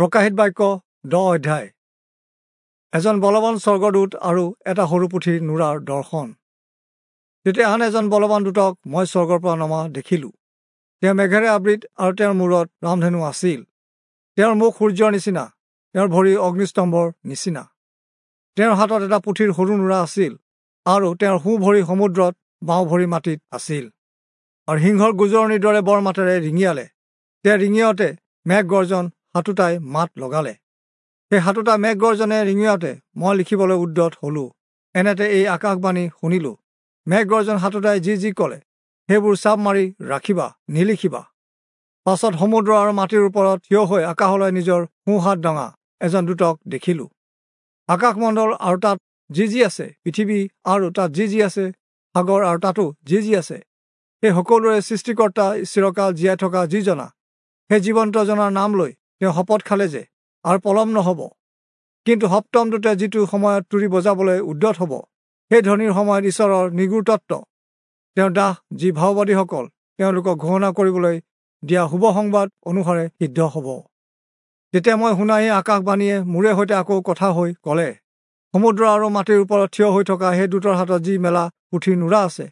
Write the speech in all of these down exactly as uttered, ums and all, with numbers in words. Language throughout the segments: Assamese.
প্ৰকাশিত বাক্য দহ অধ্যায়। এজন বলৱান স্বৰ্গদূত আৰু এটা সৰু পুথিৰ নুৰাৰ দৰ্শন। তেতিয়া আন এজন বলৱান দূতক মই স্বৰ্গৰ পৰা নমা দেখিলোঁ। তেওঁ মেঘেৰে আবৃত আৰু তেওঁৰ মূৰত ৰামধেনু আছিল। তেওঁৰ মুখ সূৰ্যৰ নিচিনা, তেওঁৰ ভৰি অগ্নিস্তম্ভৰ নিচিনা। তেওঁৰ হাতত এটা পুথিৰ সৰু নুৰা আছিল আৰু তেওঁৰ সোঁ ভৰি সমুদ্ৰত, বাওঁ ভৰি মাটিত আছিল। আৰু সিংহৰ গুজৰণিৰ দৰে বৰ মাতেৰে ৰিঙিয়ালে। তেওঁ ৰিঙিয়াওঁতে মেঘ গৰ্জন সাতোটাই মাত লগালে। সেই সাতোটা মেঘ গৰ্জনে ৰিঙিয়াওঁতে মই লিখিবলৈ উদ্যত হলোঁ। এনেতে এই আকাশবাণী শুনিলোঁ, মেঘ গৰ্জন সাতোটাই যি যি ক'লে সেইবোৰ চাপ মাৰি ৰাখিবা, নিলিখিবা। পাছত সমুদ্ৰ আৰু মাটিৰ ওপৰত থিয় হৈ আকাশলৈ নিজৰ সোঁহাত দঙা এজন দূতক দেখিলোঁ। আকাশমণ্ডল আৰু তাত যি যি আছে, পৃথিৱী আৰু তাত যি যি আছে, সাগৰ আৰু তাতো যি যি আছে, সেই সকলোৰে সৃষ্টিকৰ্তা চিৰকাল জীয়াই থকা যিজনা, সেই জীৱন্তজনাৰ নাম লৈ তেওঁ শপত খালে যে আৰু পলম নহ'ব। কিন্তু সপ্তম দূতে যিটো সময়ত তুৰি বজাবলৈ উদ্যত হ'ব, সেই ধ্বনিৰ সময়ত ঈশ্বৰৰ নিগূঢ় তত্ত্ব, তেওঁৰ দাস যি ভাওবাদীসকল তেওঁলোকক ঘোষণা কৰিবলৈ দিয়া শুভ সংবাদ অনুসাৰে সিদ্ধ হ'ব। তেতিয়া মই শুনা এই আকাশবাণীয়ে মোৰে সৈতে আকৌ কথা হৈ ক'লে, সমুদ্ৰ আৰু মাটিৰ ওপৰত থিয় হৈ থকা সেই দূতৰ হাতত যি মেলা পুথিৰ নুৰা আছে,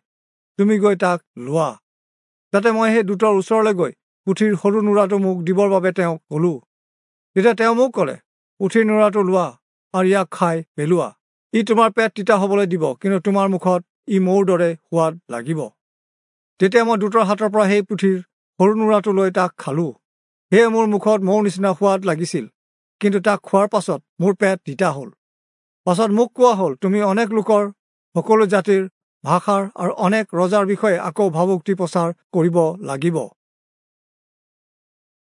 তুমি গৈ তাক লোৱা। তাতে মই সেই দূতৰ ওচৰলৈ গৈ পুথিৰ সৰু নুৰাটো মোক দিবৰ বাবে তেওঁক ক'লোঁ। তেতিয়া তেওঁ মোক ক'লে, পুথিৰ নুৰাটো লোৱা আৰু ইয়াক খাই পেলোৱা। ই তোমাৰ পেট তিতা হ'বলৈ দিব, কিন্তু তোমাৰ মুখত ই মৌৰ দৰে সোৱাদ লাগিব। তেতিয়া মই দূতৰ হাতৰ পৰা সেই পুথিৰ সৰু নুৰাটো লৈ তাক খালোঁ। সেয়ে মোৰ মুখত মৌৰ নিচিনা সোৱাদ লাগিছিল, কিন্তু তাক খোৱাৰ পাছত মোৰ পেট তিতা হ'ল। পাছত মোক কোৱা হ'ল, তুমি অনেক লোকৰ, সকলো জাতিৰ, ভাষাৰ আৰু অনেক ৰজাৰ বিষয়ে আকৌ ভাবোক্তি প্ৰচাৰ কৰিব লাগিব।